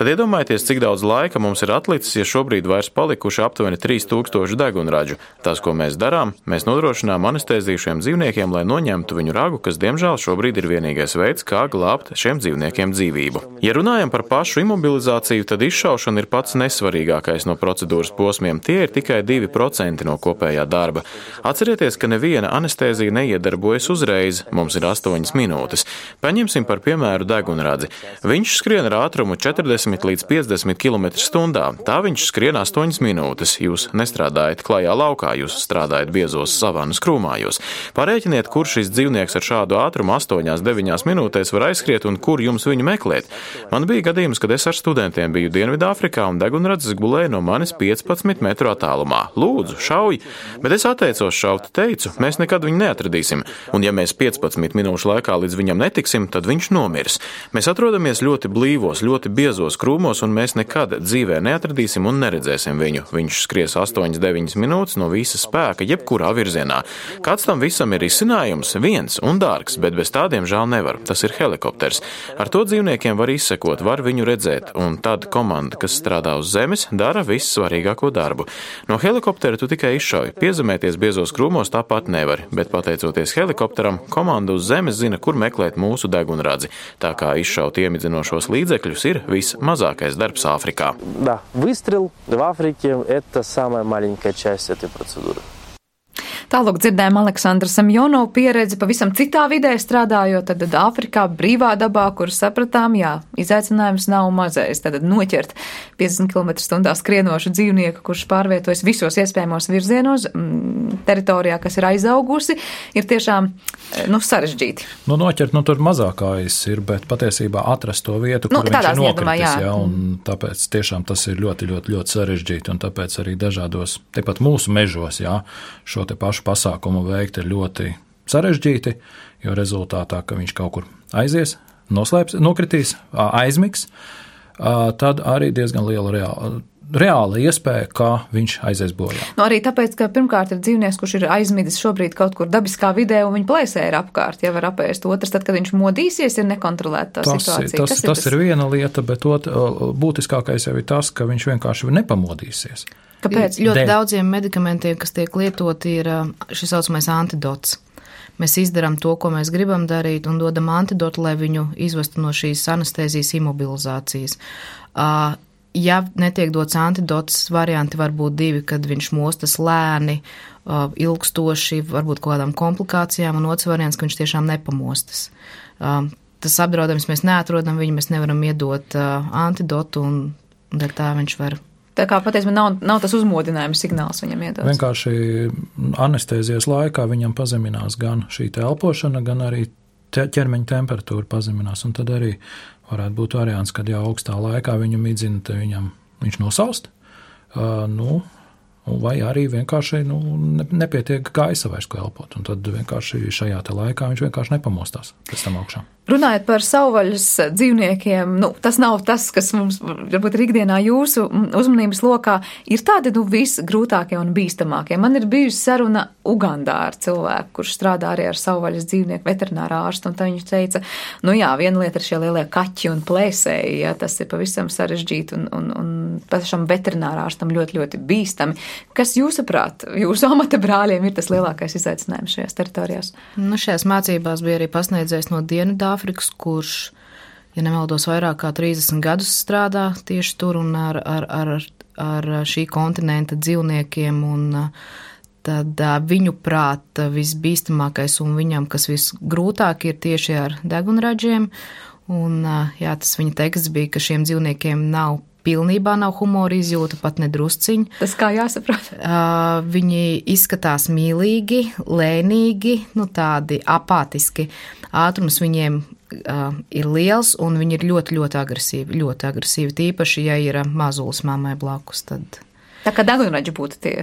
Tad iedomājieties, cik daudz laika mums ir atlicis, ja šobrīd vairs palikuši aptuveni trīs tūkstoši degunradžu. Tas, ko mēs darām, mēs nodrošinām anestēziju šiem dzīvniekiem, lai noņemtu viņu ragu, kas, diemžēl, šobrīd ir vienīgais veids, kā glābt šiem dzīvniekiem dzīvību. Ja runājam par pašu imobilizāciju, tad izšaušana ir pats nesvarīgākais no procedūras posmiem. Tie ir tikai divi procenti no kopējā darba. Atcerieties, ka neviena anestēzija neiedarbojas uzreiz, mums ir astoņas minūtes. Paņemsim par piemēru degunradzi. Viņš skrien ar ātrumu četrdesmit līdz piecdesmit kilometru stundā. Tā viņš skrien astoņas minūtes. Jūs nestrādājat klajā laukā jūs strādājat biezos savanas krūmājos. Parēķiniet, kur šis dzīvnieks ar šādu ātrumu astoņās, deviņās minūtēs var aizskriet un kur jums viņu meklēt. Man bija gadījums, kad es ar studentiem biju Dienvidāfrikā un degunradzes gulēja no manis piecpadsmit metru attālumā. Lūdzu, šauj! Bet es atteicos šaut, teicu, mēs nekad viņu neatradīsim, un ja mēs piecpadsmit minūšu laikā līdz viņam netiksim, tad viņš nomirs. Mēs atrodamies ļoti blīvos, ļoti biezos krūmos, un mēs nekad dzīvē neatradīsim un neredzēsim viņu. Viņš skries astoņas, deviņas minūtes no visa spēka, jebkurā virzienā. Kāds tam visam ir izcinājums? Viens un dārgs, bet bez tādiem žēl nevar. Tas ir helikopters. Ar to dzīvniekiem var izsekot, var viņu redzēt, un tad komanda, kas strādā uz zemes, dara vissvarīgāko darbu. No helikoptera tu tikai izšauj. Piezemēties biezos krūmos tāpat nevari, bet pateicoties helikopteram, komanda uz zemes zina, kur meklēt mūsu degunradzi. Tā kā izšaut iemidzinošos līdzekļus ir vismazākais darbs Āfrikā. Да, выстрел в Африке – это самая маленькая часть этой процедуры. Tālāk dzirdējām Aleksandra Semjonovu pieredzi pavisam citā vidē strādājot, tad Āfrikā brīvā dabā, kur sapratām, jā, izaicinājums nav mazais, tad noķert piecdesmit kilometru stundā skrienošu dzīvnieku, kurš pārvietojas visos iespējamos virzienos, teritorijā, kas ir aizaugusi, ir tiešām, nu, sarežģīti. Nu, noķert, nu, tur mazākais ir, bet patiesībā atrast to vietu, kur nu, viņš ir nokritis, jā. jā, un tāpēc tiešām tas ir ļoti, ļoti, ļoti sarežģīti, un tāpēc arī dažādos, tepat mūsu mežos, jā, šo te pašu pasākumu veikt ir ļoti sarežģīti, jo rezultātā, ka viņš kaut kur aizies, noslēps, nokritīs, aizmigs, tad arī diezgan liela reāla, reāla iespēja, ka viņš aizies bojā. Nu, arī tāpēc, ka pirmkārt ir dzīvnieks, kurš ir aizmidis šobrīd kaut kur dabiskā vidē, un viņa plēsē ir apkārt, ja var apēst. Otrs, tad, kad viņš modīsies, ir nekontrolēta tā tas, situācija. Tas, Kas ir tas, tas ir viena lieta, bet ot, būtiskākais jau ir tas, ka viņš vienkārši nepamodīsies. Kāpēc? Ļoti daudziem medikamentiem, kas tiek lietoti, ir šis saucamais antidots. Mēs izdarām to, ko mēs gribam darīt, un dodam antidotu, lai viņu izvestu no šīs anestēzijas imobilizācijas. Ja netiek dots antidots, varianti var būt divi, kad viņš mostas lēni, ilgstoši, varbūt kaut kādām komplikācijām, un otrs variants, ka viņš tiešām nepamostas. Tas apdraudējums mēs neatrodam viņu, mēs nevaram iedot antidotu, un dēļ tā viņš var. Tā kā patiesībā nav, nav tas uzmodinājuma signāls viņam iedots. Vienkārši anestēzijas laikā viņam pazeminās gan šī elpošana, gan arī ķermeņa temperatūra pazeminās, un tad arī varētu būt variants, kad jau augstā laikā viņu midzina, te viņam viņš nosalst, uh, nu, vai arī vienkārši nu, nepietiek gaisa vairs, ko elpot, un tad vienkārši šajā te laikā viņš vienkārši nepamostās pēc tam augšā. Runājot par savvaļas dzīvniekiem, nu, tas nav tas, kas mums varbūt ir ikdienā jūsu uzmanības lokā, ir tādi, nu, visgrūtākie un bīstamākie. Man ir bijusi saruna Ugandā ar cilvēku, kurš strādā arī ar savvaļas dzīvnieku veterinārā ārstu, un tā viņš teica, nu jā, viena lieta ir šie lielie kaķi un plēsēji, ja, tas ir pavisam sarežģīti un, un, un pašam veterinārā ārstam ļoti, ļoti bīstami. Kas jūsuprāt, jūsu amata brāļiem ir tas lielākais izaicinājums šajās teritorijās? Nu, šajās mācībās bija arī pasniedzējs no Dienvidāfrikas, kurš, ja nemaldos, vairāk kā trīsdesmit gadus strādā tieši tur un ar, ar, ar, ar šī kontinenta dzīvniekiem, un tad viņu prāt visbīstamākais un viņam, kas visgrūtāk ir tieši ar degunraģiem, un jā, tas viņa teksts bija, ka šiem dzīvniekiem nav pilnībā nav humora izjūta, pat nedrusciņi. Tas kā jāsaprot? Uh, viņi izskatās mīlīgi, lēnīgi, nu tādi apātiski. Ātrums viņiem uh, ir liels un viņi ir ļoti, ļoti agresīvi, ļoti agresīvi, tīpaši, ja ir mazulis mammai blakus, tad. Tā kā degunraģi būtu tie.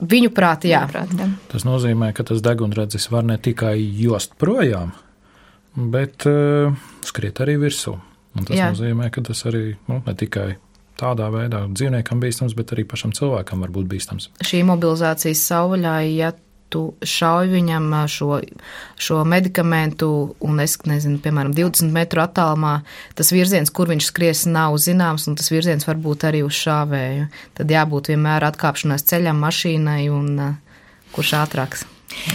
Viņu prāt, jā. Viņu prāt, jā. Tas nozīmē, ka tas degunradzis var ne tikai jost projām, bet uh, skriet arī virsū. Un tas jā. Nozīmē, ka tas arī, nu, ne tikai tādā veidā dzīvniekam bīstams, bet arī pašam cilvēkam var būt bīstams. Šī mobilizācijas savvaļā, ja tu šauj viņam šo, šo medikamentu un es nezinu, piemēram, divdesmit metru attālumā, tas virziens, kur viņš skries, nav zināms, un tas virziens var būt arī uz šāvēju. Tad jābūt vienmēr atkāpšanās ceļam, mašīnai un kurš ātrāks.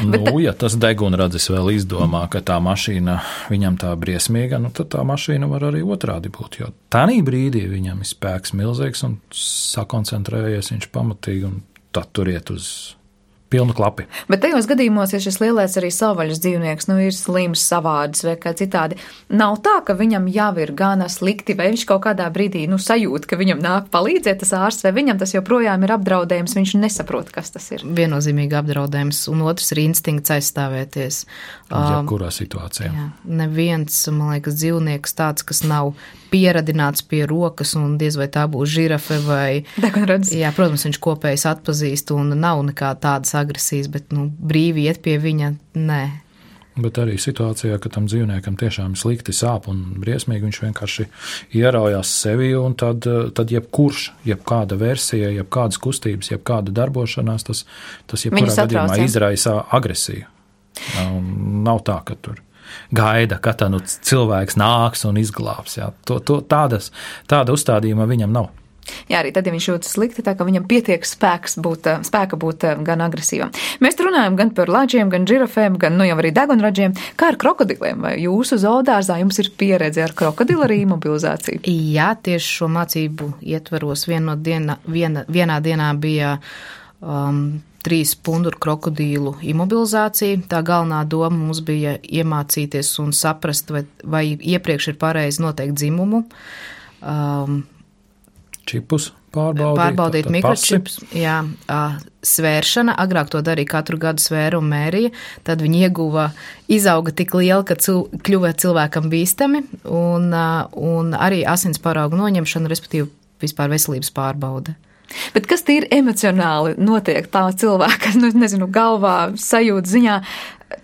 Nu, Bet, ja tas degunradzis vēl izdomā, ka tā mašīna viņam tā briesmīga, nu, tad tā mašīna var arī otrādi būt, jo tanī brīdī viņam ir spēks milzīgs un sakoncentrējies viņš pamatīgi un tad tur iet uz pilnu klapi. Bet tajos gadījumos, ja šis lielais arī savvaļas dzīvnieks, nu, ir slims, savādis vai kā citādi, nav tā, ka viņam jau ir gana slikti, vai viņš kaut kādā brīdī, nu, sajūt, ka viņam nāk palīdzēt tas ārsts, vai viņam tas joprojām ir apdraudējums, viņš nesaprot, kas tas ir. Viennozīmīgi apdraudējums, un otrs ir instinkts aizstāvēties. Jebkurā situācijā. Jā, neviens, man liekas, dzīvnieks tāds, kas nav pieradināts pie rokas, un diez vai tā būs žirafe vai... Degunradis. Jā, protams, viņš kopējs atpazīst, un nav nekā tādas agresijas, bet, nu, brīvi iet pie viņa, nē. Bet arī situācijā, ka tam dzīvniekam tiešām slikti sāp un briesmīgi, viņš vienkārši ieraujās sevi, un tad, tad jebkurš, jebkāda versija, jebkādas kustības, jebkāda darbošanās, tas, tas jebkurā gadījumā izraisa agresiju. Nav tā, ka tur gaida, ka tā nu cilvēks nāks un izglābs. Jā. To, to, tādas, tāda uzstādījuma viņam nav. Jā, arī tad, ja viņš jūtas slikti, tā ka viņam pietiek spēks būt, spēka būt gan agresīvam. Mēs runājam gan par ladžiem, gan žirafēm, gan, nu, jau arī degunradžiem. Kā ar krokodiliem? Vai jūsu zoodārzā jums ir pieredze ar krokodilu arī imobilizāciju? Jā, tieši šo mācību ietvaros viena diena, viena, vienā dienā bija um, trīs punduru krokodīlu imobilizācija. Tā galvenā doma mums bija iemācīties un saprast, vai, vai iepriekš ir pareizi noteikt dzimumu. Um, Čipus pārbaudīt. Pārbaudīt mikročips, jā, svēršana. Agrāk to darīja katru gadu svēru un mērija. Tad viņi ieguva, izauga tik liela, ka cil, kļuva cilvēkam bīstami, un, un arī asins paraugu noņemšana, respektīvi vispār veselības pārbaude. Bet kas tīri emocionāli notiek tā cilvēka, nu, nezinu, galvā, sajūta ziņā,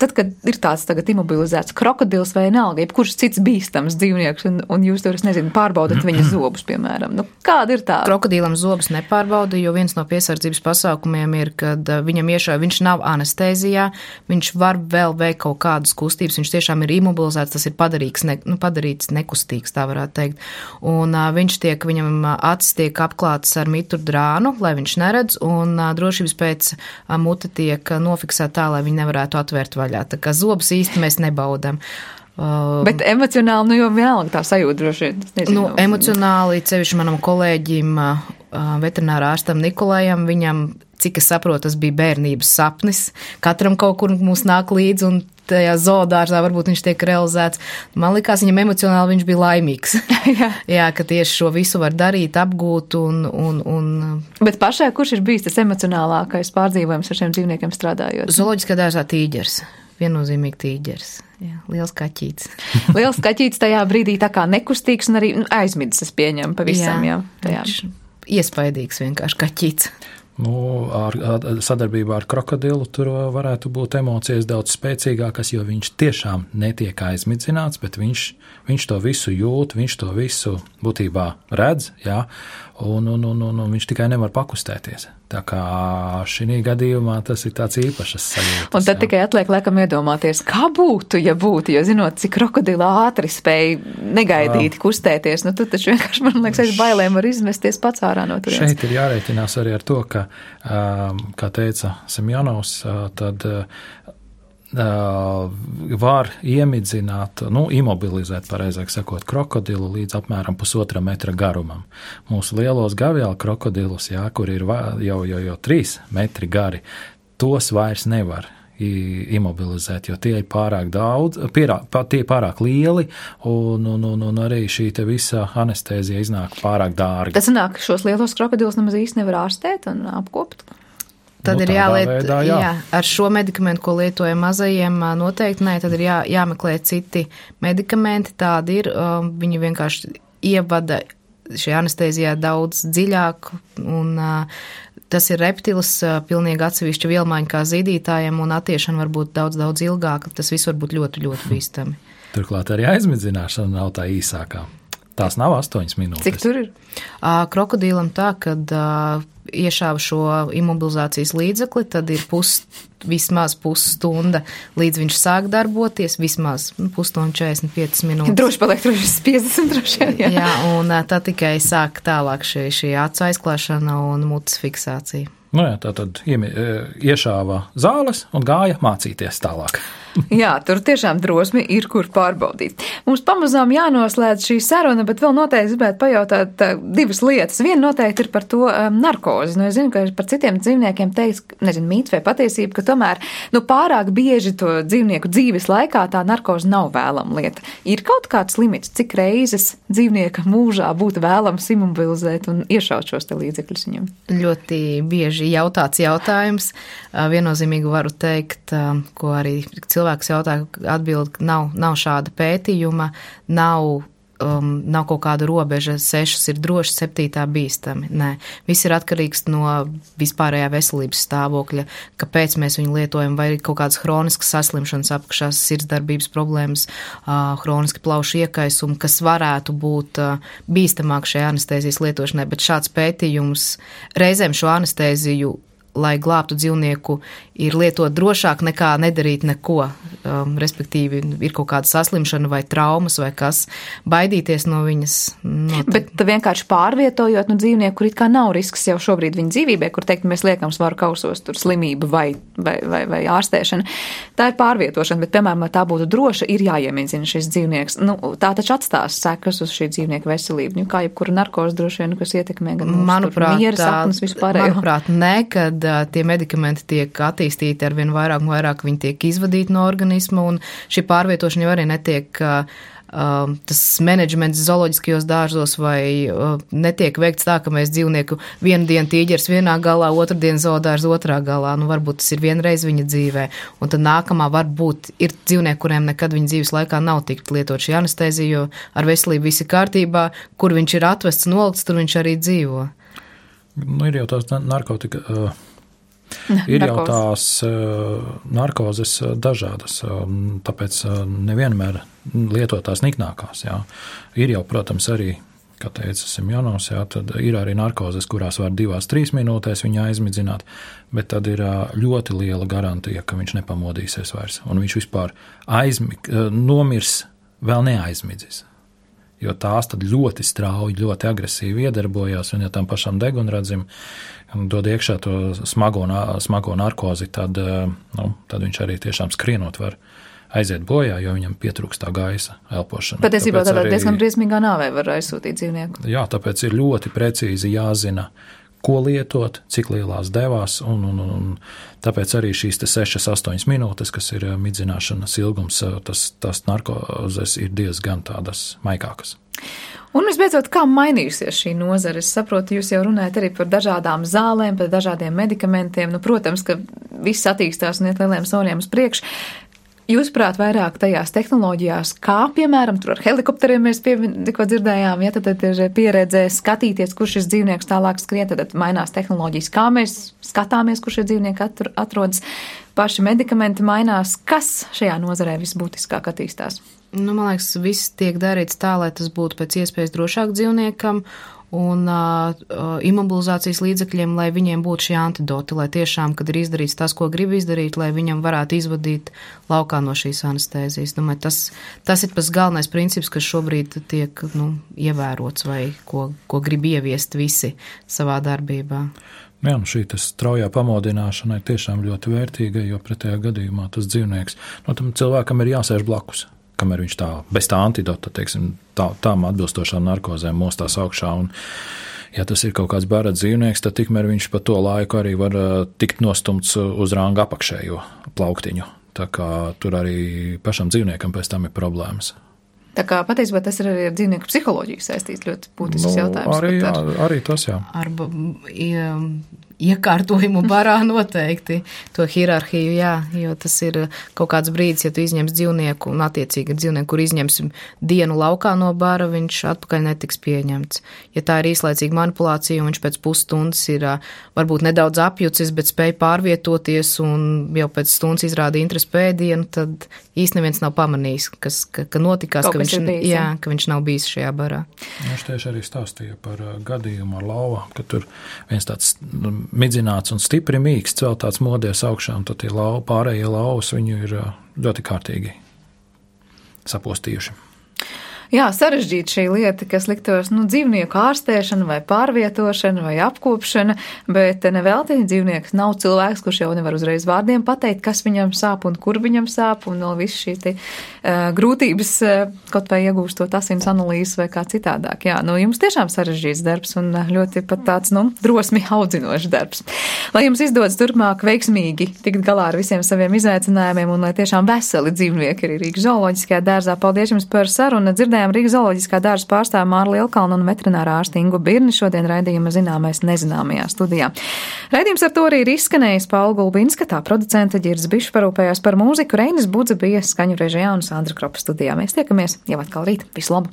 tad, kad ir tāds tagad imobilizēts krokodils vai vienalga, jebkurš cits bīstams dzīvnieks, un, un jūs tur, es nezinu, pārbaudat viņa zobus, piemēram. Nu, kāda ir tā? Krokodīlam zobus nepārbauda, jo viens no piesardzības pasākumiem ir, kad viņam iešauj, viņš nav anestēzijā, viņš var vēl veikt kaut kādas kustības, viņš tiešām ir imobilizēts, tas ir padarīts, ne, nu, padarīts nekustīgs, tā varētu teikt. Un uh, viņš tiek, viņam acis tiek apklāts ar mitru drānu, lai viņš neredz, un uh, drošības pēc uh, mute tiek nofiksēta tā, lai viņi nevarētu atvērt vaļā. Tā kā zobus īsti mēs nebaudam. Uh, Bet emocionāli, nu jau vienalga tā sajūta droši vien. Nu, emocionāli, cevišķi manam kolēģim, uh, veterinārā ārstam Nikolajam, viņam, cik es saprotu, tas bija bērnības sapnis. Katram kaut kur mums nāk līdzi, un tajā zoodārzā varbūt viņš tiek realizēts. Man likās, viņam emocionāli viņš bija laimīgs. Jā. Jā, ka tieši šo visu var darīt, apgūt un, un, un... Bet pašai, kurš ir bijis tas emocionālākais pārdzīvojums ar šiem dzīvniekiem strādājot? Zooloģiskā dārzā tīģers. Viennozīmīgi tīģers. Jā, liels kaķīts. Liels kaķīts tajā brīdī tā kā nekustīgs un arī aizmidzis, es pieņemu pavisam. Jā, jā, viņš iespaidīgs vienkārši kaķīts. Nu, ar, ar sadarbībā ar krokodilu tur varētu būt emocijas daudz spēcīgākas, jo viņš tiešām netiek aizmidzināts, bet viņš, viņš to visu jūt, viņš to visu būtībā redz, jā, un, un, un, un, un viņš tikai nevar pakustēties. Tā kā šī gadījumā tas ir tāds īpašas sajūtas. Un tad jā. Tikai atliek laikam iedomāties, kā būtu, ja būtu, jo zinot, cik krokodila ātri spēja negaidīt, jā. Kustēties, nu tad taču vienkārši, man liekas, aiz bailēm var izmesties pats ārā no turienes. Šeit ir jārēķinās arī ar to, ka, kā teica Semjonovs, tad var iemidzināt, nu, imobilizēt, pareizāk sakot, krokodilu līdz apmēram pusotra metra garumam. Mūsu lielos gaviālu krokodilus, jā, kur ir jau, jau, jau trīs metri gari, tos vairs nevar imobilizēt, jo tie ir pārāk daudz, pierā, tie ir pārāk lieli, un, un, un, un arī šī te visa anestēzija iznāk pārāk dārga. Tas nāk, šos lielos krokodilus nemaz īsti nevar ārstēt un apkopt? Tad nu, ir jāliet, veidā, jā. jā, ar šo medikamentu, ko lietojam mazajiem, noteikti nē, tad ir jā, jāmeklē citi medikamenti, tādi ir, viņi vienkārši ievada šajā anestēzijā daudz dziļāk, un tas ir reptils, pilnīgi atsevišķa vielmaiņa kā zīdītājiem, un attiešana var būt daudz, daudz ilgāka, tas viss var būt ļoti, ļoti bīstami. Turklāt arī aizmidzināšana nav tā īsākā. Tās nav astoņas minūtes. Cik tur ir? Krokodīlam tā, kad iešāva šo imobilizācijas līdzekli, tad ir pus, vismaz pusstunda, līdz viņš sāk darboties, vismaz nu, pusstunda četrdesmit piecas minūtes. Droši paliek droši piecdesmit droši, jā. Jā, un tad tikai sāk tālāk šī, šī acu aizklāšana un mutes fiksācija. Nu jā, tā tad iešāva zāles un gāja mācīties tālāk. Jā, tur tiešām drosmi ir, kur pārbaudīt. Mums pamazām jānoslēdz šī saruna, bet vēl noteikti gribētu pajautāt tā, divas lietas. Viena noteikti ir par to um, narkozi. Nu, es zinu, ka par citiem dzīvniekiem teiks, nezinu, mīts vai patiesība, ka tomēr nu, pārāk bieži to dzīvnieku dzīves laikā tā narkozi nav vēlama lieta. Ir kaut kāds limits, cik reizes dzīvnieka mūžā būtu vēlams immobilizēt un iešaut šos te līdzekļus viņam? Ļoti bieži jautāts jautājums. Viennozīmīgi varu teikt, ko arī cilvēks jautā, atbild, nav, nav šāda pētījuma, nav, um, nav kaut kāda robeža, sešas ir droši, septītā bīstami. Nē, viss ir atkarīgs no vispārējā veselības stāvokļa, kāpēc mēs viņu lietojam, vai kaut kādas hroniskas saslimšanas apakšās, sirdsdarbības problēmas, uh, hroniski plaušu iekaisumi, kas varētu būt uh, bīstamāk šajā anestēzijas lietošanai, bet šāds pētījums reizēm šo anestēziju, lai glābtu dzīvnieku, ir lietot drošāk nekā nedarīt neko. Um, respektīvi, ir kaut kāda saslimšana vai traumas vai kas, baidīties no viņas. Not... Bet vienkārši pārvietojot no dzīvnieku, kur it kā nav risks jau šobrīd viņa dzīvībai, kur teikt, mēs liekam svaru kausos, tur slimība vai, vai, vai, vai ārstēšana. Tā ir pārvietošana, bet, piemēram, lai tā būtu droša, ir jāiemīdzina šis dzīvnieks. Nu, tā taču atstās sekas uz šī dzīvnieka veselību. Nu, kā jebkura narkoze droši vien, kas ietekmē gan manuprāt, miera sapnes vispārējo. Manuprāt, ne, kad tie medikamenti tiek attīstīti ar vien vairāk un vairāk, viņi tiek izvadīti no organisma, un šī pārvietošana jau arī netiek, uh, tas menedžments zooloģiskajos dārzos vai uh, netiek veikts tā, ka mēs dzīvnieku vienu dienu tīģers vienā galā, otru dienu zoodārs otrā galā, nu varbūt tas ir vienreiz viņa dzīvē, un tad nākamā varbūt ir dzīvnieki, kuriem nekad viņa dzīves laikā nav tikt lietot šī anestēzija, jo ar veselību visi kārtībā, kur viņš ir atvests, nolikts, tur viņš arī dzīvo. Nu, ir jau tās narkotika... Uh... Ir jau tās uh, narkozes dažādas, uh, tāpēc uh, nevienmēr lietotās niknākās. Jā. Ir jau, protams, arī, kā teica Simjonovs, jā, tad ir arī narkozes, kurās var divās, trīs minūtēs viņu aizmidzināt, bet tad ir uh, ļoti liela garantija, ka viņš nepamodīsies vairs, un viņš vispār aizmi, uh, nomirs vēl neaizmidzis. Jo tās tad ļoti strauji, ļoti agresīvi iedarbojās, un ja tam pašam degunradzim dod iekšā to smago, smago narkozi, tad, nu, tad viņš arī tiešām skrienot var aiziet bojā, jo viņam pietrūkst tā gaisa elpošana. Patiesībā tādā arī, diezgan briesmīgā nāvē var aizsūtīt dzīvnieku. Jā, tāpēc ir ļoti precīzi jāzina, ko lietot, cik lielās devās, un, un, un tāpēc arī šīs te sešas, astoņas minūtes, kas ir midzināšanas ilgums, tas, tas narkozes ir diezgan tādas maikākas. Un visbeidzot, kā mainījusies šī nozare? Es saprotu, jūs jau runājat arī par dažādām zālēm, par dažādiem medikamentiem. Nu, protams, ka viss attīstās un iet lieliem soļiem uz priekšu. Jūsuprāt, vairāk tajās tehnoloģijās, kā, piemēram, tur ar helikopteriem mēs tikko dzirdējām, ja tad ir pieredze skatīties, kur šis dzīvnieks tālāk skrien, tad mainās tehnoloģijas, kā mēs skatāmies, kur šie dzīvnieki atrodas, paši medikamenti mainās. Kas šajā nozarē visbūtiskāk attīstās? Nu, man liekas, viss tiek darīts tā, lai tas būtu pēc iespējas drošāk dzīvniekam un uh, imobilizācijas līdzekļiem, lai viņiem būtu šie antidoti, lai tiešām, kad ir izdarīts tas, ko grib izdarīt, lai viņam varētu izvadīt laukā no šīs anestēzijas. Domāju, tas, tas ir pats galvenais princips, kas šobrīd tiek nu, ievērots vai ko, ko grib ieviest visi savā darbībā. Jā, nu šī straujā pamodināšana ir tiešām ļoti vērtīga, jo pretējā gadījumā tas dzīvnieks, no tam cilvēkam ir jāsēž blakus, kamēr viņš tā, bez tā antidota, teiksim, tā, tām atbilstošām narkozēm mostās augšā, un ja tas ir kaut kāds bērra dzīvnieks, tad tikmēr viņš pa to laiku arī var tikt nostumts uz ranga apakšējo plauktiņu, tā kā tur arī pašam dzīvniekam pēc tam ir problēmas. Tā kā patiesībā tas ir arī ar dzīvnieku psiholoģiju saistīts ļoti būtisks nu, jautājums. Arī, ar... jā, arī tas, jā. Ar iekārtojumu barā noteikti to hierarhiju, jā, jo tas ir kaut kāds brīdis, ja tu izņems dzīvnieku un attiecīgi ar dzīvnieku, kur izņemsim dienu laukā no bara, viņš atpakaļ netiks pieņemts. Ja tā ir īslaicīga manipulācija un viņš pēc pusstundas ir varbūt nedaudz apjucis, bet spēj pārvietoties un jau pēc stundas izrāda interesi pēdienu, tad īsti neviens nav pamanījis, kas, ka, ka notikās, ka viņš, bijis, jā, ka viņš nav bijis šajā barā. Viņš tieši arī stāstīja par gadījumu ar lauvām, ka tur viens tāds midzināts un stipri mīksts, vēl tāds modies augšā, un tad tie lau, pārējie lauvas viņu ir ļoti kārtīgi sapostījuši. Jā, sarežģīta šī lieta, kas liktos, nu, dzīvnieku ārstēšana vai pārvietošana vai apkopšana, bet nevelti dzīvnieks nav cilvēks, kurš jau nevar uzreiz vārdiem pateikt, kas viņam sāp un kur viņam sāp, un vēl viss šī te uh, grūtības uh, kaut vai iegūstot asins analīzes vai kā citādāk. Jā, nu, jums tiešām sarežģīts darbs un ļoti pat tāds, nu, drosmi audzinošs darbs. Lai jums izdodas turpmāk veiksmīgi tikt galā ar visiem saviem izaicinājumiem un lai tiešām veseli dzīvnieki arī Rīgas zooloģiskajā dārzā. Paldies jums par sarunu. Dzirdējām Rīgas zooloģiskā dārza pārstāvu Māru Lielkalnu un veterinārā ārsti Ingu Birni šodien raidījuma Zināmais nezināmajā studijā. Raidījums ar to arī ir izskanējis. Paula Gulbinska, tā producente, Ģirds Bišs parūpējās par mūziku, Reinis Budze bija skaņu režijā un Sandra Kropa studijā. Mēs tiekamies jau atkal rīt. Visu labu!